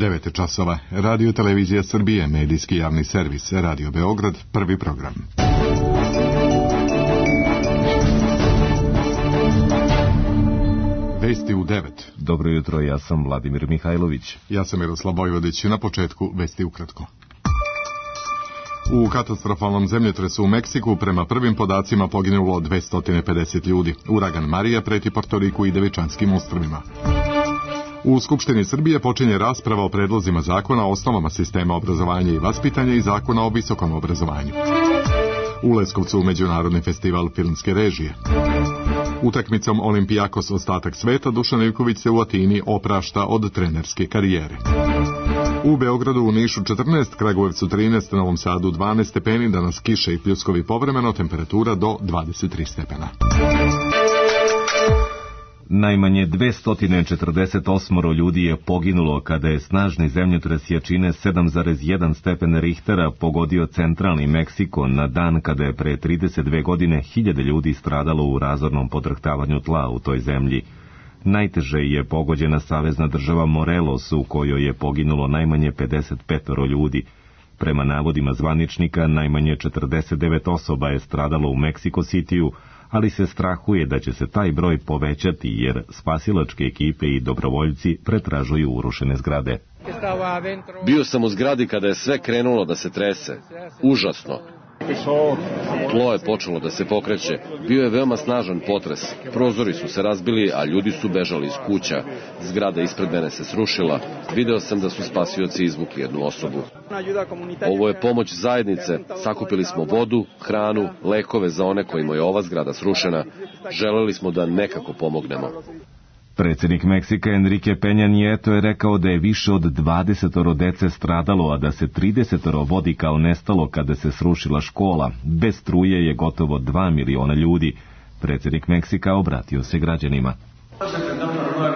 9 je časova. Radio Televizija Srbije, medijski javni servis, Radio Beograd, prvi program. Vesti u 9. Dobro jutro, ja sam Vladimir Mihajlović. Ja sam Miroslav Vojvodić. Na početku vesti ukratko. U katastrofalnom zemljotresu u Meksiku prema prvim podacima poginulo 250 ljudi. Uragan Marija preti Portoriku i Devičanskim ostrvima. U Skupštini Srbije počinje rasprava o predlozima zakona o osnovama sistema obrazovanja i vaspitanja i zakona o visokom obrazovanju. U Leskovcu međunarodni festival filmske režije. Utakmicom Olimpijakos ostatak sveta Dušan Ivković se u Atini oprašta od trenerske karijere. U Beogradu, u Nišu 14, Kragujevcu 13, Novom Sadu 12 stepeni, danas kiše i pljuskovi povremeno, temperatura do 23 stepena. Najmanje 248 ljudi je poginulo kada je snažni zemljotres jačine 7,1 stepen Richtera pogodio centralni Meksiko na dan kada je pre 32 godine 1000 ljudi stradalo u razornom podrhtavanju tla u toj zemlji. Najteže je pogođena savezna država Morelos, u kojoj je poginulo najmanje 55 ljudi. Prema navodima zvaničnika, najmanje 49 osoba je stradalo u Meksiko Cityu, ali se strahuje da će se taj broj povećati jer spasilačke ekipe i dobrovoljci pretražuju urušene zgrade. Bio sam u zgradi kada je sve krenulo da se trese. Užasno. Tlo je počelo da se pokreće. Bio je veoma snažan potres. Prozori su se razbili, a ljudi su bežali iz kuća. Zgrada ispred mene se srušila. Video sam da su spasioci izvukli jednu osobu. Ovo je pomoć zajednice. Sakupili smo vodu, hranu, lekove za one kojima je ova zgrada srušena. Želeli smo da nekako pomognemo. Predsjednik Meksika Enrique Peña Nieto je rekao da je više od 20 dece stradalo, a da se 30 vodi kao nestalo kada se srušila škola. Bez struje je gotovo 2 miliona ljudi. Predsjednik Meksika obratio se građanima.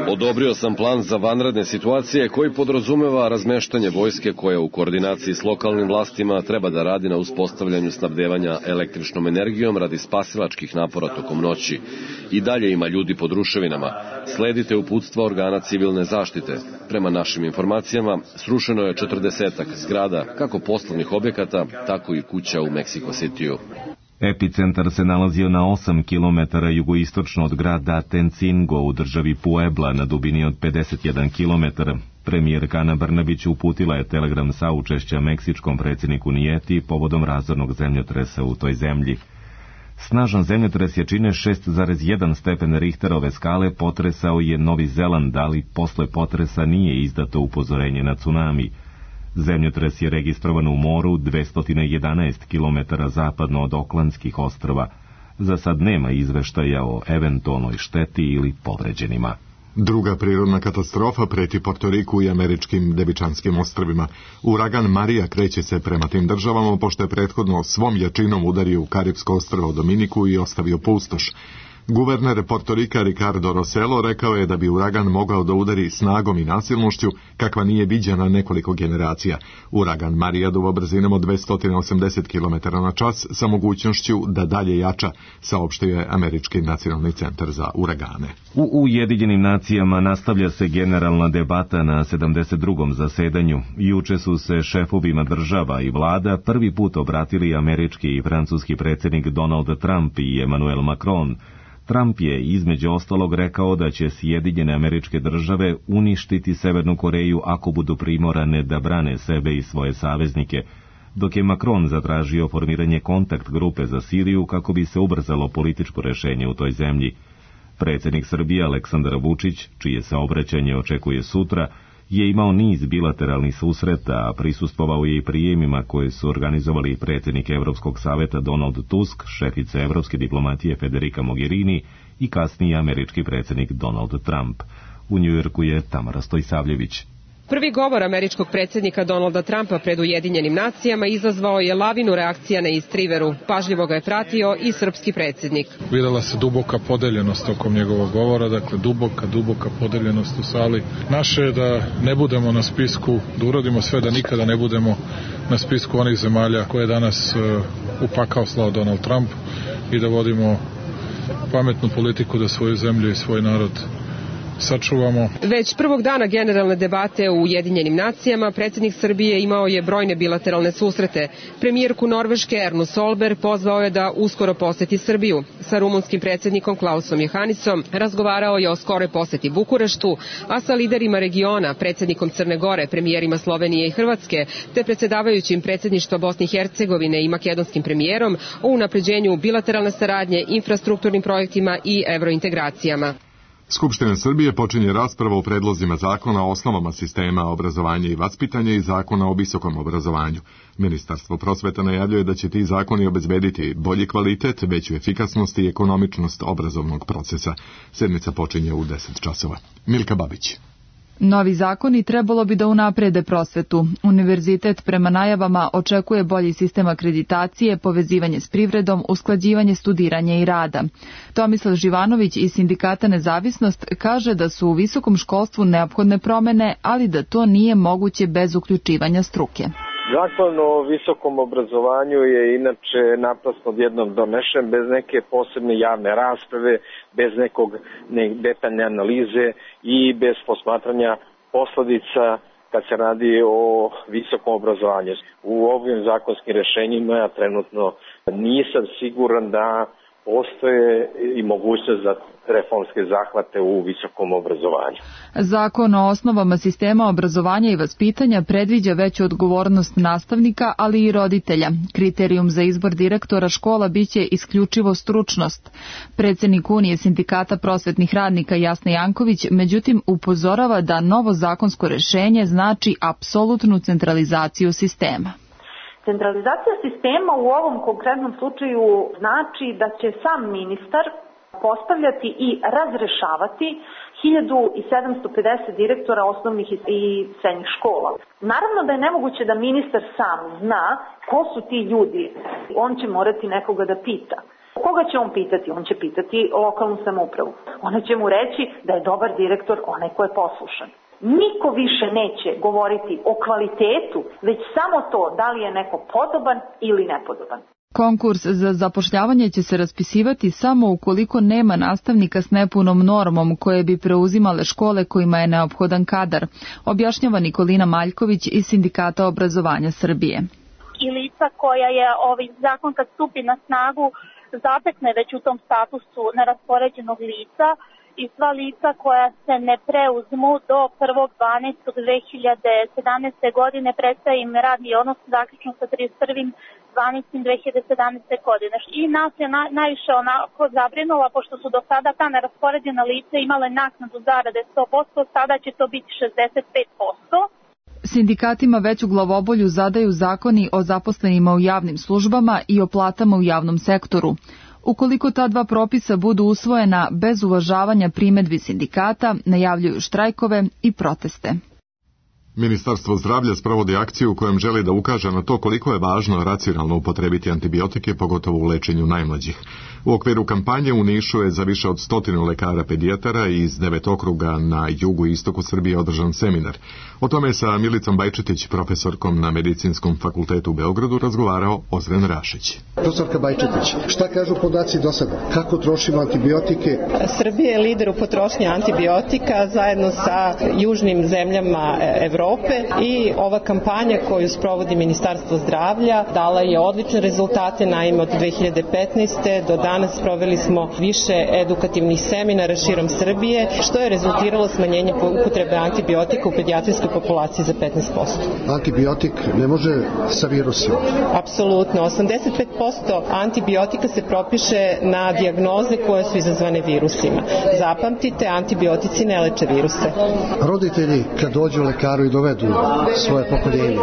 Odobrio sam plan za vanredne situacije koji podrazumeva razmeštanje vojske koja u koordinaciji s lokalnim vlastima treba da radi na uspostavljanju snabdevanja električnom energijom radi spasilačkih napora tokom noći. I dalje ima ljudi pod ruševinama. Sledite uputstva organa civilne zaštite. Prema našim informacijama, srušeno je 40 zgrada, kako poslovnih objekata, tako i kuća u Meksiko Cityu. Epicentar se nalazio na 8 km jugoistočno od grada Tencingo u državi Puebla na dubini od 51 km. Premijerka Ana Brnabić uputila je telegram saučešća meksičkom predsjedniku Nijeti povodom razornog zemljotresa u toj zemlji. Snažan zemljotres jačine 6,1 stepen Richterove skale potresao je Novi Zeland, ali posle potresa nije izdato upozorenje na tsunami. Zemljotres je registrovan u moru 211 km zapadno od Oklandskih ostrva. Za sad nema izveštaja o eventualnoj šteti ili povređenima. Druga prirodna katastrofa preti Portoriku i američkim Devičanskim ostrvima. Uragan Marija kreće se prema tim državama, pošto je prethodno svom jačinom udario u Karipsko ostrvo Dominiku i ostavio pustoš. Guverner Portorika Ricardo Rossello rekao je da bi uragan mogao da udari snagom i nasilnošću kakva nije viđena nekoliko generacija. Uragan Marija duva brzinom od 280 km na čas sa mogućnošću da dalje jača, saopštio je Američki nacionalni centar za uragane. U Ujedinjenim nacijama nastavlja se generalna debata na 72. zasedanju. Juče su se šefovima država i vlada prvi put obratili američki i francuski predsjednik Donald Trump i Emmanuel Macron. Trump je između ostalog rekao da će Sjedinjene Američke Države uništiti Severnu Koreju ako budu primorane da brane sebe i svoje saveznike, dok je Macron zatražio formiranje kontakt grupe za Siriju kako bi se ubrzalo političko rješenje u toj zemlji. Predsjednik Srbije Aleksandar Vučić, čije se obraćanje očekuje sutra, je imao niz bilateralnih susreta, a prisustvovao je i prijemima koje su organizovali predsjednik Europskog saveta Donald Tusk, šefica evropske diplomatije Federica Mogherini i kasniji američki predsjednik Donald Trump. U Njujorku je Tamara Stojsavljević. Prvi govor američkog predsjednika Donalda Trumpa pred Ujedinjenim nacijama izazvao je lavinu reakcija na East Riveru. Pažljivo ga je pratio i srpski predsjednik. Videla se duboka podeljenost tokom njegovog govora, dakle duboka podeljenost u sali. Naše je da ne budemo na spisku, da uradimo sve da nikada ne budemo na spisku onih zemalja koje danas upakao slao Donald Trump i da vodimo pametnu politiku da svoju zemlju i svoj narod sačuvamo. Već prvog dana generalne debate u Ujedinjenim nacijama predsjednik Srbije imao je brojne bilateralne susrete. Premijerku Norveške Ernu Solberg pozvao je da uskoro poseti Srbiju. Sa rumunskim predsjednikom Klausom Johanisom razgovarao je o skoroj poseti Bukureštu, a sa liderima regiona, predsjednikom Crne Gore, premijerima Slovenije i Hrvatske, te predsjedavajućim predsjedništva Bosne i Hercegovine i makedonskim premijerom o unapređenju bilateralne saradnje, infrastrukturnim projektima i evrointegracijama. Skupština Srbije počinje rasprava o predlozima zakona o osnovama sistema obrazovanja i vaspitanja i zakona o visokom obrazovanju. Ministarstvo prosvete najavljuje da će ti zakoni obezbediti bolji kvalitet, veću efikasnost i ekonomičnost obrazovnog procesa. Sednica počinje u 10 časova. Milka Babić. Novi zakoni trebalo bi da unaprede prosvetu. Univerzitet prema najavama očekuje bolji sistem akreditacije, povezivanje s privredom, usklađivanje studiranja i rada. Tomislav Živanović iz Sindikata Nezavisnost kaže da su u visokom školstvu neophodne promene, ali da to nije moguće bez uključivanja struke. Zakon o visokom obrazovanju je inače naprasno odjednom donešen bez neke posebne javne rasprave, bez nekog detaljne analize i bez posmatranja posledica kad se radi o visokom obrazovanju. U ovim zakonskim rješenjima ja trenutno nisam siguran da postoje i mogućnost za reformske zahvate u visokom obrazovanju. Zakon o osnovama sistema obrazovanja i vaspitanja predviđa veću odgovornost nastavnika, ali i roditelja. Kriterijum za izbor direktora škola biće isključivo stručnost. Predsjednik Unije Sindikata prosvetnih radnika Jasna Janković, međutim, upozorava da novo zakonsko rješenje znači apsolutnu centralizaciju sistema. Centralizacija sistema u ovom konkretnom slučaju znači da će sam ministar postavljati i razrešavati 1750 direktora osnovnih i srednjih škola. Naravno da je nemoguće da ministar sam zna ko su ti ljudi. On će morati nekoga da pita. Koga će on pitati? On će pitati lokalnu samoupravu. Ona će mu reći da je dobar direktor onaj ko je poslušan. Niko više neće govoriti o kvalitetu, već samo to da li je neko podoban ili nepodoban. Konkurs za zapošljavanje će se raspisivati samo ukoliko nema nastavnika s nepunom normom koje bi preuzimale škole kojima je neophodan kadar, objašnjava Nikolina Maljković iz Sindikata obrazovanja Srbije. I lica koja je zakon kad stupi na snagu zatekne već u tom statusu neraspoređenog lica, i sva lica koja se ne preuzmu do 1.12.2017. godine prestaje im radni odnos zaključno sa 31.12.2017. godine. I nas je najviše onako zabrinula, pošto su do sada ta neraspoređena lica imale naknadu zarade 100%, sada će to biti 65%. Sindikatima veću glavobolju zadaju zakoni o zaposlenima u javnim službama i o platama u javnom sektoru. Ukoliko ta dva propisa budu usvojena bez uvažavanja primedbi sindikata, najavljuju štrajkove i proteste. Ministarstvo zdravlja sprovodi akciju u kojem želi da ukaže na to koliko je važno racionalno upotrebiti antibiotike, pogotovo u lečenju najmlađih. U okviru kampanje u Nišu je za više od 100 lekara pedijatara iz 9 okruga na jugu i istoku Srbije održan seminar. O tome je sa Milicom Bajčetić, profesorkom na Medicinskom fakultetu u Beogradu, razgovarao Ozren Rašić. Profesorka Bajčetić, šta kažu podaci do sada? Kako trošimo antibiotike? Srbija je lider u potrošnji antibiotika zajedno sa južnim zemljama Evrope i ova kampanja koju sprovodi Ministarstvo zdravlja dala je odlične rezultate. Naime, od 2015. do danas proveli smo više edukativnih seminara širom Srbije, što je rezultiralo smanjenje upotrebe antibiotika u pedijatrijskoj populaciji za 15%. Antibiotik ne može sa virusima? Apsolutno. 85% antibiotika se propiše na dijagnoze koje su izazvane virusima. Zapamtite, antibiotici ne leče viruse. Roditelji kad dođu u lekaru i dovedu svoje pokoljenje,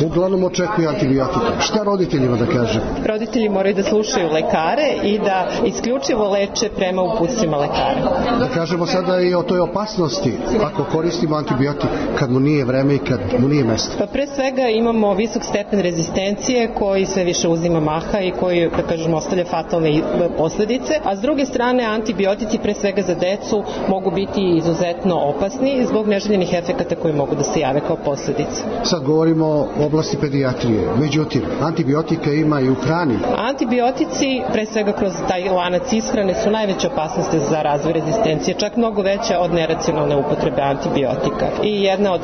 uglavnom očekuju antibiotike. Šta roditeljima da kaže? Roditelji moraju da slušaju lekare i da isključivo leče prema uputstvima lekara. Da kažemo sada i o toj opasnosti ako koristimo antibiotik kad mu nije vreme i kad mu nije mesto. Pa pre svega imamo visok stepen rezistencije koji sve više uzima maha i koji, da kažemo, ostavlja fatalne posljedice, a s druge strane antibiotici pre svega za decu mogu biti izuzetno opasni zbog neželjenih efekata koji mogu da se jave kao posljedice. Sad govorimo o oblasti pedijatrije. Međutim, antibiotika ima i u hrani. Antibiotici, pre svega kroz taj lanac ishrane, su najveća opasnost za razvoj rezistencije, čak mnogo veća od neracionalne upotrebe antibiotika. I jedna od,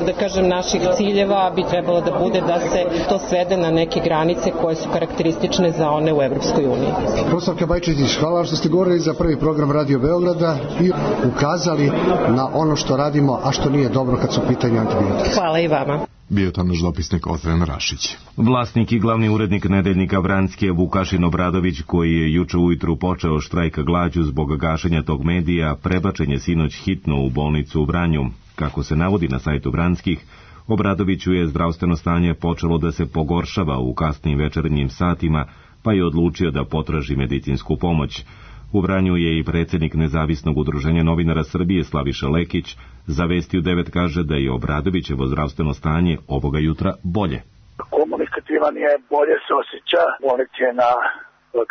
naših ciljeva bi trebalo da bude da se to svede na neke granice koje su karakteristične za one u Evropskoj uniji. Profesorka Bajčetić, hvala što ste govorili za prvi program Radio Beograda i ukazali na ono što radimo, a što nije dobro kad su u pitanju antibiotici. Hvala i vama. Bio tam naš dopisnik Ozren Rašić. Vlasnik i glavni urednik nedeljnika Vranjske Vukašin Obradović, koji je juče ujutru počeo štrajk glađu zbog gašenja tog medija, prebačen je sinoć hitno u bolnicu u Vranju. Kako se navodi na sajtu Vranjskih, Obradoviću je zdravstveno stanje počelo da se pogoršava u kasnim večernjim satima, pa je odlučio da potraži medicinsku pomoć. U Vranju je i predsjednik Nezavisnog udruženja novinara Srbije Slaviša Lekić za Vesti u 9 kaže da je Obradovićevo zdravstveno stanje ovoga jutra bolje. Komunikativan je, bolje se osjeća, bolnic je na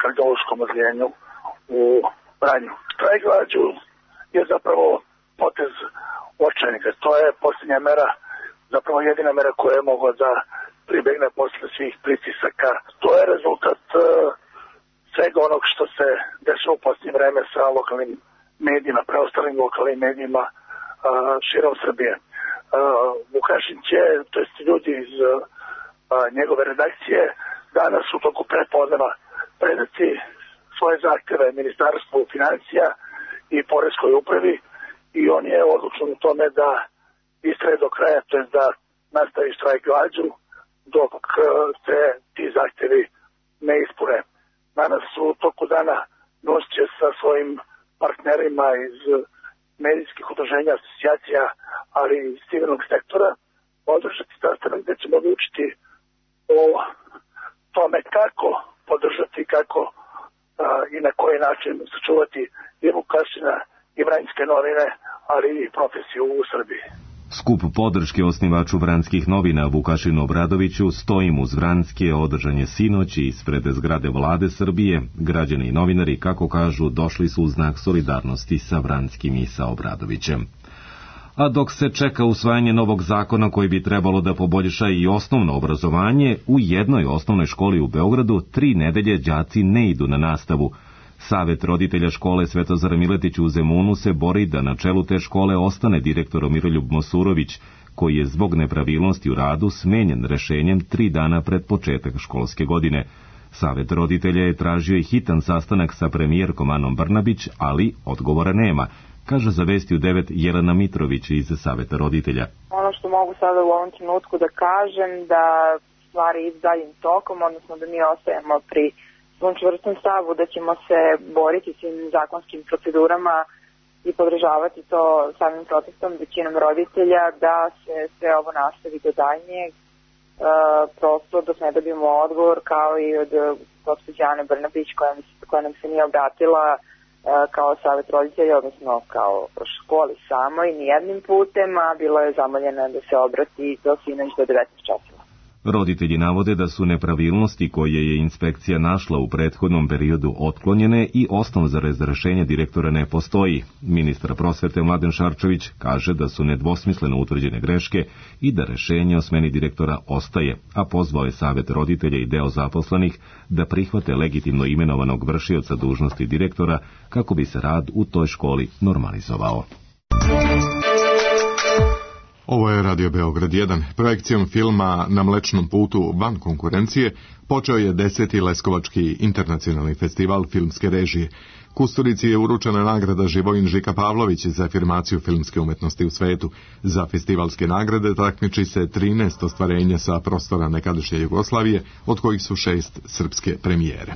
kardiološkom odjeljenju u Vranju. Štrajk glađu je zapravo potez očajnika. To je posljednja mera, zapravo jedina mera koja je mogla da pribegne posle svih pritisaka. To je rezultat svega onog što se dešava u posljednje vreme sa lokalnim medijima, preostalim lokalnim medijima širom Srbije. Vukašin će, to jest ljudi iz njegove redakcije, danas u toku prepodneva predati svoje zahtjeve Ministarstvu financija i Poreskoj upravi i on je odlučen u tome da istraje do kraja, to jest da nastavi štrajk glađu dok se ti zahtjevi ne ispune. Danas u toku dana će sa svojim partnerima iz medijskih udruženja, asocijacija, ali i iz civilnog sektora održati sastanak gdje ćemo odlučiti o tome kako podržati, kako i na koji način sačuvati i Vukašina i Vranjske novine, ali i profesiju u Srbiji. Skup podrške osnivaču Vranjskih novina Vukašinu Obradoviću Stojim uz Vranjske održan je sinoć ispred zgrade Vlade Srbije. Građani i novinari, kako kažu, došli su u znak solidarnosti sa Vranjskim i sa Obradovićem. A dok se čeka usvajanje novog zakona koji bi trebalo da poboljša i osnovno obrazovanje, u jednoj osnovnoj školi u Beogradu 3 nedelje đaci ne idu na nastavu. Savet roditelja škole Svetozar Miletić u Zemunu se bori da na čelu te škole ostane direktor Miroljub Mosurović, koji je zbog nepravilnosti u radu smenjen rešenjem 3 dana pred početak školske godine. Savet roditelja je tražio i hitan sastanak sa premijerkom Anom Brnabić, ali odgovora nema, kaže za Vesti u 9 Jelena Mitrović iz Saveta roditelja. Ono što mogu sada u ovom trenutku da kažem, da stvari idu daljim tokom, odnosno da mi ostajemo pri svom čvrstom stavu da ćemo se boriti svim zakonskim procedurama i podržavati to samim protestom većinom roditelja da se sve ovo nastavi do daljnjeg, prosto dok ne dobijemo odgovor, kao i od gospođe Ane Brnabić koja nam se nije obratila kao savet roditelja, odnosno kao školi samo i nijednim putem, a bila je zamoljena da se obrati do sinoć do 19 časova. Roditelji navode da su nepravilnosti koje je inspekcija našla u prethodnom periodu otklonjene i osnov za razrešenje direktora ne postoji. Ministar prosvete Mladen Šarčević kaže da su nedvosmisleno utvrđene greške i da rešenje o smeni direktora ostaje, a pozvao je savet roditelja i deo zaposlenih da prihvate legitimno imenovanog vršioca dužnosti direktora kako bi se rad u toj školi normalizovao. Ovo je Radio Beograd 1. Projekcijom filma Na Mlečnom putu van konkurencije počeo je 10. Leskovački internacionalni festival filmske režije. Kusturici je uručena nagrada Živojin Žika Pavlović za afirmaciju filmske umetnosti u svetu. Za festivalske nagrade takmiči se 13 ostvarenja sa prostora nekadašnje Jugoslavije, od kojih su 6 srpske premijere.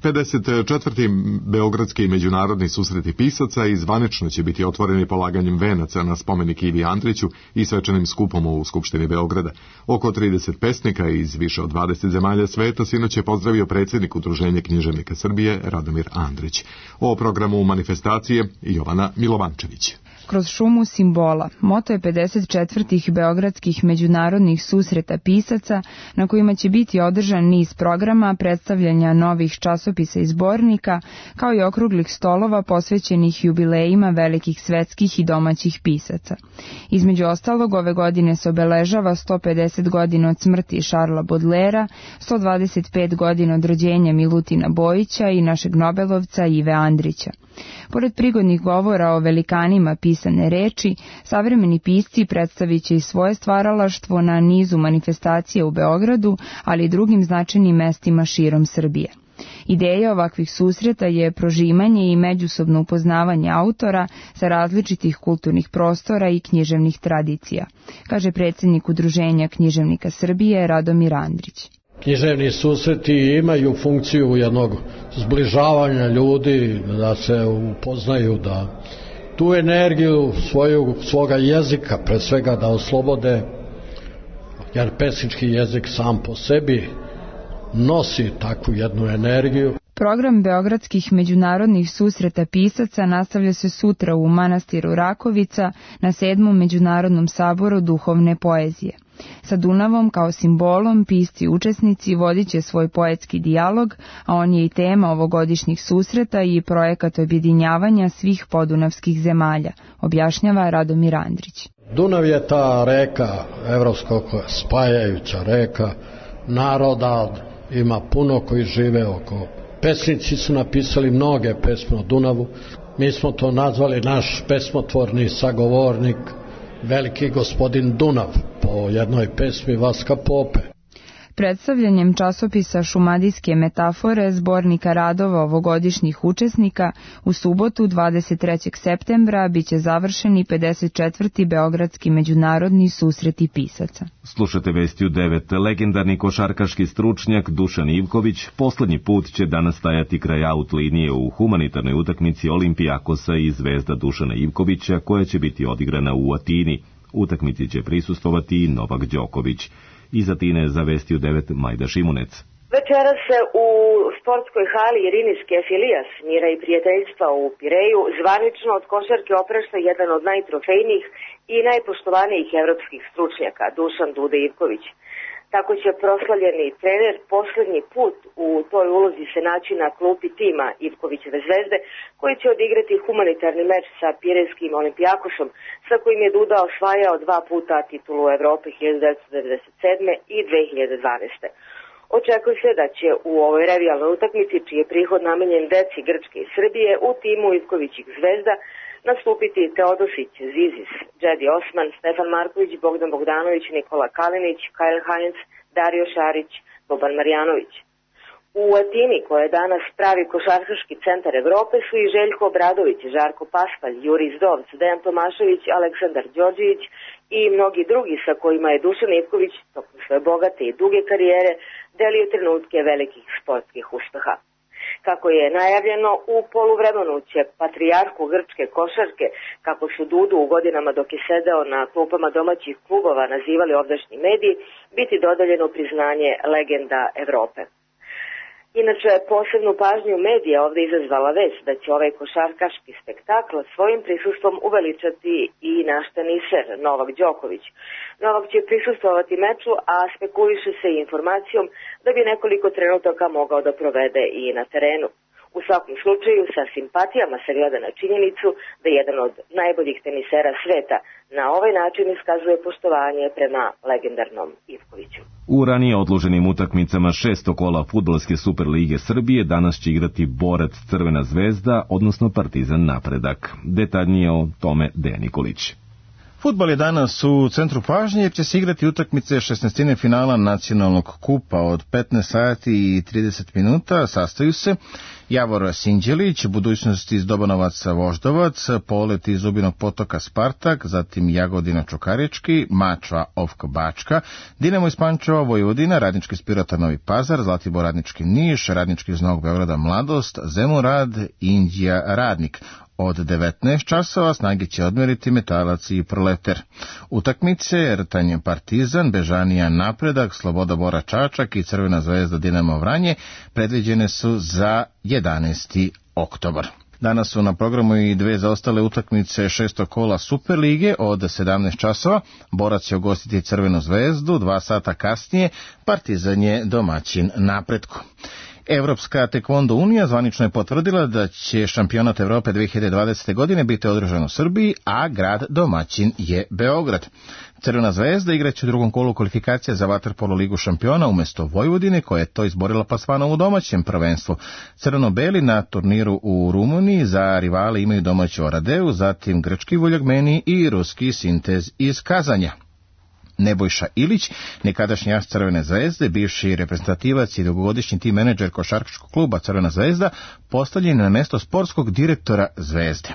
54. Beogradski međunarodni susreti pisaca i zvanično će biti otvoreni polaganjem venaca na spomenik Ivi Andriću i svečanim skupom u Skupštini Beograda. Oko 30 pesnika iz više od 20 zemalja sveta sinoć je pozdravio predsjednik Udruženja književnika Srbije Radomir Andrić. O programu manifestacije Jovana Milovančević. kroz šumu simbola. Moto je 54. beogradskih međunarodnih susreta pisaca, na kojima će biti održan niz programa, predstavljanja novih časopisa i zbornika, kao i okruglih stolova posvećenih jubilejima velikih svetskih i domaćih pisaca. Između ostalog, ove godine se obeležava 150 godina od smrti Šarla Bodlera, 125 godina od rođenja Milutina Bojića i našeg Nobelovca Ive Andrića. Pored prigodnih govora o velikanima pisane reči, savremeni pisci predstavit će i svoje stvaralaštvo na nizu manifestacija u Beogradu, ali i drugim značajnim mestima širom Srbije. Ideja ovakvih susreta je prožimanje i međusobno upoznavanje autora sa različitih kulturnih prostora i književnih tradicija, kaže predsjednik Udruženja književnika Srbije Radomir Andrić. Književni susreti imaju funkciju jednog zbližavanja ljudi, da se upoznaju, da tu energiju svoga jezika, pre svega da oslobode, jer pesnički jezik sam po sebi nosi takvu jednu energiju. Program beogradskih međunarodnih susreta pisaca nastavlja se sutra u manastiru Rakovica na 7. Međunarodnom saboru duhovne poezije. Sa Dunavom kao simbolom pisci učesnici vodit će svoj poetski dijalog, a on je i tema ovogodišnjih susreta i projekat objedinjavanja svih podunavskih zemalja, objašnjava Radomir Andrić. Dunav je ta reka, evropskog spajajuća reka, naroda ima puno koji žive oko. Pesnici su napisali mnoge pesme o Dunavu, mi smo to nazvali naš pesmotvorni sagovornik, veliki gospodin Dunav, po jednoj pesmi Vaska Pope. Predstavljanjem časopisa Šumadijske metafore, zbornika radova ovogodišnjih učesnika, u subotu 23. septembra biće završeni 54. beogradski međunarodni susreti pisaca. Slušate vesti u 9. Legendarni košarkaški stručnjak Dušan Ivković poslednji put će danas stajati kraj aut linije u humanitarnoj utakmici Olimpijakosa i Zvezda Dušana Ivkovića, koja će biti odigrana u Atini. Utakmici će prisustvovati i Novak Đoković. Iz Atine za vesti u 9 Majda Šimunec. Večeras se u sportskoj hali Irinis Kefilijas, mira i prijateljstva u Pireju, zvanično od košarke oprašta jedan od najtrofejnijih i najpoštovanijih evropskih stručnjaka, Dušan Dude Ivković. Tako će proslavljeni trener poslednji put u toj ulozi se naći na klupi tima Ivkovićeve Zvezde, koji će odigrati humanitarni meč sa Pirejskim Olimpijakosom, sa kojim je Duda osvajao 2 puta titulu Evrope 1997. i 2012. Očekuje se da će u ovoj revijalnoj utakmici, čiji je prihod namenjen deci Grčke i Srbije, u timu Ivkovićih Zvezda nastupiti Teodosić, Zizis, Džedi Osman, Stefan Marković, Bogdan Bogdanović, Nikola Kalinić, Kyle Heinz, Dario Šarić, Boban Marjanović. U Atini, koja je danas pravi košarkaški centar Evrope, su i Željko Obradović, Žarko Paspalj, Juri Zdovc, Dejan Tomašević, Aleksandar Đorđević i mnogi drugi sa kojima je Dušan Ivković tokom svoje bogate i duge karijere delio trenutke velikih sportskih uspeha. Kako je najavljeno, u poluvremenu će patrijarhu grčke košarke, kako su Dudu u godinama dok je sedeo na klupama domaćih klubova nazivali ovdašnji mediji, biti dodeljeno priznanje legenda Evrope. Inače, posebnu pažnju medija ovdje izazvala vest da će ovaj košarkaški spektakl svojim prisustvom uveličati i naš teniser Novak Đoković. Novak će prisustvovati meču, a spekuliše se i informacijom da bi nekoliko trenutaka mogao da provede i na terenu. U svakom slučaju, sa simpatijama se gleda na činjenicu da jedan od najboljih tenisera sveta na ovaj način iskazuje poštovanje prema legendarnom Ivkoviću. U ranije odloženim utakmicama 6. kola Fudbalske Superlige Srbije danas će igrati borac Crvena Zvezda, odnosno Partizan Napredak. Detaljnije o tome Dejan Nikolić. Fudbal je danas u centru pažnje jer će se igrati utakmice 16. finala nacionalnog kupa od 15 sati i 30 minuta. Sastaju se Javor Sinđelić, budućnost iz Dobanovaca Voždovac, Polet iz Zubinog Potoka Spartak, zatim Jagodina Čukarički, Mačva Ofk Bačka, Dinamo iz Pančeva Vojvodina, Radnički iz Pirota Novi Pazar, Zlatibor Radnički Niš, Radnički iz Novog Beograda Mladost, Zemurad, Indija Radnik. Od 19 časova snage će odmeriti Metalac i Proleter. Utakmice Rtanje Partizan, Bežanija Napredak, Sloboda Bora Čačak i Crvena Zvezda Dinamo Vranje predviđene su za 11. oktobar. Danas su na programu i dve zaostale utakmice šestog kola Superlige od 17 časova. Borac će ugostiti Crvenu zvezdu, 2 sata kasnije Partizan je domaćin Napretku. Evropska tekvondo unija zvanično je potvrdila da će šampionat Evrope 2020. godine biti održan u Srbiji, a grad domaćin je Beograd. Crvena zvezda igraće u drugom kolu kvalifikacija za vaterpolo ligu šampiona umjesto Vojvodine, koja je to izborila plasmanom u domaćem prvenstvu. Crveno-beli na turniru u Rumuniji za rivale imaju domaću Oradeu, zatim grčki Voljagmeni i ruski Sintez iz Kazanja. Nebojša Ilić, nekadašnji as Crvene zvezde, bivši reprezentativac i dugogodišnji tim menadžer košarkaškog kluba Crvena zvezda, postavljen na mesto sportskog direktora Zvezde.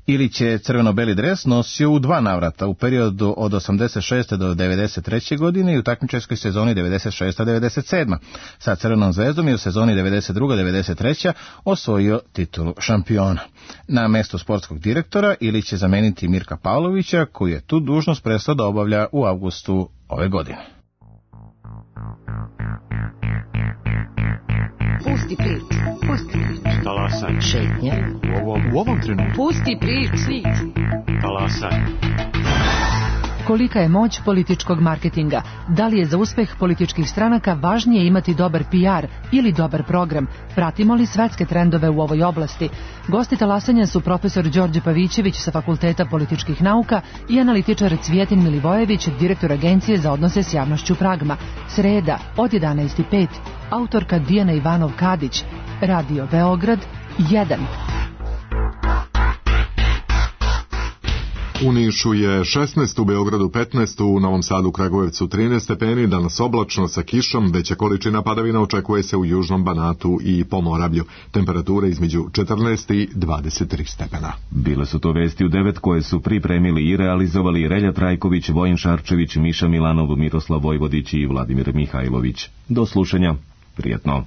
Ilić je crveno-beli dres nosio u 2 navrata u periodu od 86. do 93. godine i u takmičarskoj sezoni 96-97. Sa Crvenom zvezdom je u sezoni 92-93. osvojio titulu šampiona. Na mesto sportskog direktora Ilić će zameniti Mirka Pavlovića, koji je tu dužnost prestao da obavlja u avgustu ove godine. Pusti priču, pusti priču. Talasaj. Šetnja. U ovom trenutku. Pusti priču. Talasaj. Kolika je moć političkog marketinga? Da li je za uspeh političkih stranaka važnije imati dobar PR ili dobar program? Pratimo li svetske trendove u ovoj oblasti? Gosti talasanja su profesor Đorđe Pavićević sa Fakulteta političkih nauka i analitičar Cvijetin Milivojević, direktor Agencije za odnose s javnošću Pragma. Sreda od 11:05. Autorka Dijana Ivanov-Kadić. Radio Beograd 1. U Nišu je 16, u Beogradu 15, u Novom Sadu, Kragujevcu 13 stepeni, danas oblačno sa kišom, veća količina padavina očekuje se u južnom Banatu i Pomoravlju. Temperature između 14 i 23 stepena. Bile su to vesti u 9 koje su pripremili i realizovali Relja Trajković, Vojin Šarčević, Miša Milanov, Miroslav Vojvodić i Vladimir Mihajlović. Do slušanja, prijetno.